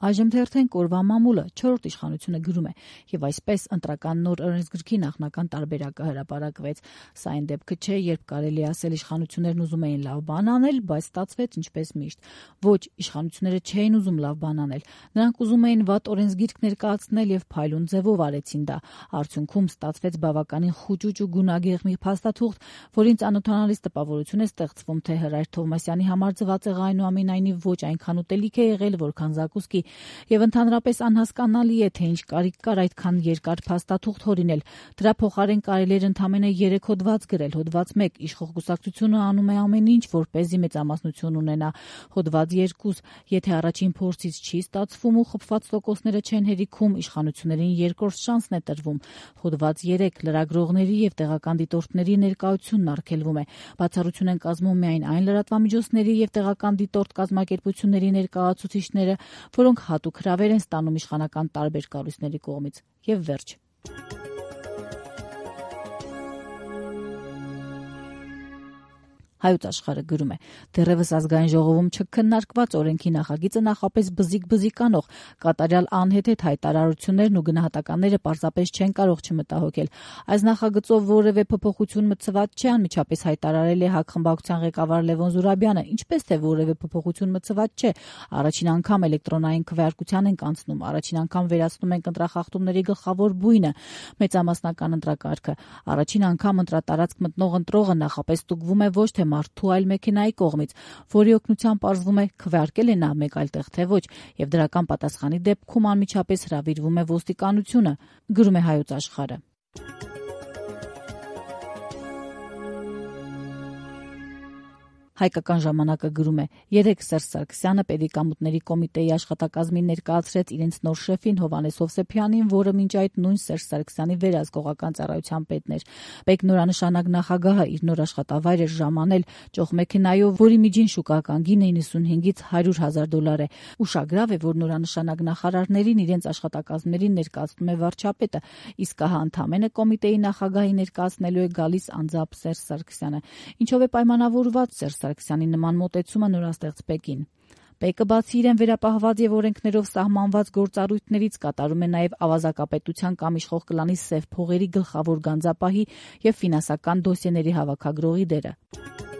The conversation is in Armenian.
Այժմ թերթեն կորվա մամուլը 4-րդ իշխանությունը գրում է եւ այսպես ընտրական նոր օրենսգրքի նախնական տարբերակը հրապարակվեց։ Սա այն դեպքը չէ, երբ կարելի ասել իշխանություններն ուզում էին լավ բան անել, բայց ստացվեց ինչպես միշտ։ Ոչ, իշխանությունները չէին ուզում լավ բան անել։ Նրանք ուզում էին վատ օրենսգիրք ներկայացնել եւ փայլուն ձևով արեցին դա։ Արդյունքում ստացվեց բավականին խուճուճ ու գունագեղմի փաստաթուղթ, որին ծանոթանալիս տպավորություն է ստեղծվում, թե Հրայր Թովմասյանի համար ծվածեղը այնուամենայնիվ ոչ այնքան ուտելիք է եղել, որքան զակուսկի, եւ ընդհանրապես անհասկանալի է, թե ինչ կարիք կար այդքան երկար փաստաթուղթ հորինել։ Դրա փոխարեն կարելի էր ընդամենը 3 հոդված գրել։ Հոդված 1 իշխող կուսակցությունը անում է ամեն ինչ, որպեսզի մեծամասնություն ունենա։ Հոդված 2 եթե առաջին փորձից չի ստացվում ու խփված տոկոսները չեն հերիքում, իշխանություններին երկրորդ շանսն է տրվում։ Հոդված 3 լրագրողների եւ տեղական դիտորդների ներկայությունն արգելվում է։ Բացառություն են կազմում միայն այն լրատվամիջոցների եւ տեղական դիտորդ կազմակերպությունների ներկայացուցիչները, որոնք հատուկ հրավեր են ստանում իշխանական տարբեր կառույցների կողմից։ Եվ վերջ։ Հայոց աշխարհը գրում է. դեռևս ազգային ժողովում չքննարկված օրենքի նախագիծը նախապես բզիկ անող, կատարյալ անհեթեթ հայտարարություններն ու գնահատականները պարզապես չեն կարող չմտահոգել։ Այս նախագծով որևէ փոփոխություն մտցված չէ, անմիջապես հայտարարել է ՀԱԿ խմբակցության ղեկավար Լևոն Զուրաբյանը, ինչպես թե որևէ փոփոխություն մտցված չէ։ Առաջին անգամ էլեկտրոնային քվեարկության ենք անցնում, առաջին անգամ վերացնում ենք ընտրախախտումների գլխավոր բույնը՝ մեծամասնական ընտրակարգը։ Առաջին անգամ ընտրատարածք մտնող ընտրողը նախապես ստուգվում է ոչ թե մարդու այլ մեքենայի կողմից, որի օգնությամբ պարզվում է քվեարկել է նա մեկ այլ տեղ թե ոչ, եւ դրական պատասխանի դեպքում անմիջապես հրավիրվում է ոստիկանությունը, գրում է Հայոց աշխարհը։ Հայկական ժամանակը գրում է. երեկ Սերժ Սարգսյանը Պետեկամուտների կոմիտեի աշխատակազմին ներկայացրեց իրենց նոր շեֆին Հովհաննես Հովսեփյանին, որը մինչ այդ նույն Սերժ Սարգսյանի վերահսկողական ծառայության պետն էր։ Պետնորանշանակ նախագահը իր նոր աշխատավայր էր ժամանել ճոխմեքենայով, որի միջին շուկական գինը 95-ից $100,000 է։ Ուշագրավ է, որ նորանշանակ նախարարներին իրենց աշխատակազմներին ներկայացնում է վարչապետը, իսկ ահա ընդամենը կոմիտեի նախագահի ներկայացնելու է գալիս անձամբ Սերժ Սարգսյանը։ Ինչով է պայմանավորված Սերժ Սարգսյանի նման մոտեցումը, նորաստեղծ Պեկին։ Պեկը բացի իրեն վերապահված եւ օրենքներով սահմանված գործառույթներից կատարում է նաեւ ավազակապետության կամ իշխող կլանի սև փողերի գլխավոր գանձապահի եւ ֆինանսական դոսիեների հավաքագրողի դերը։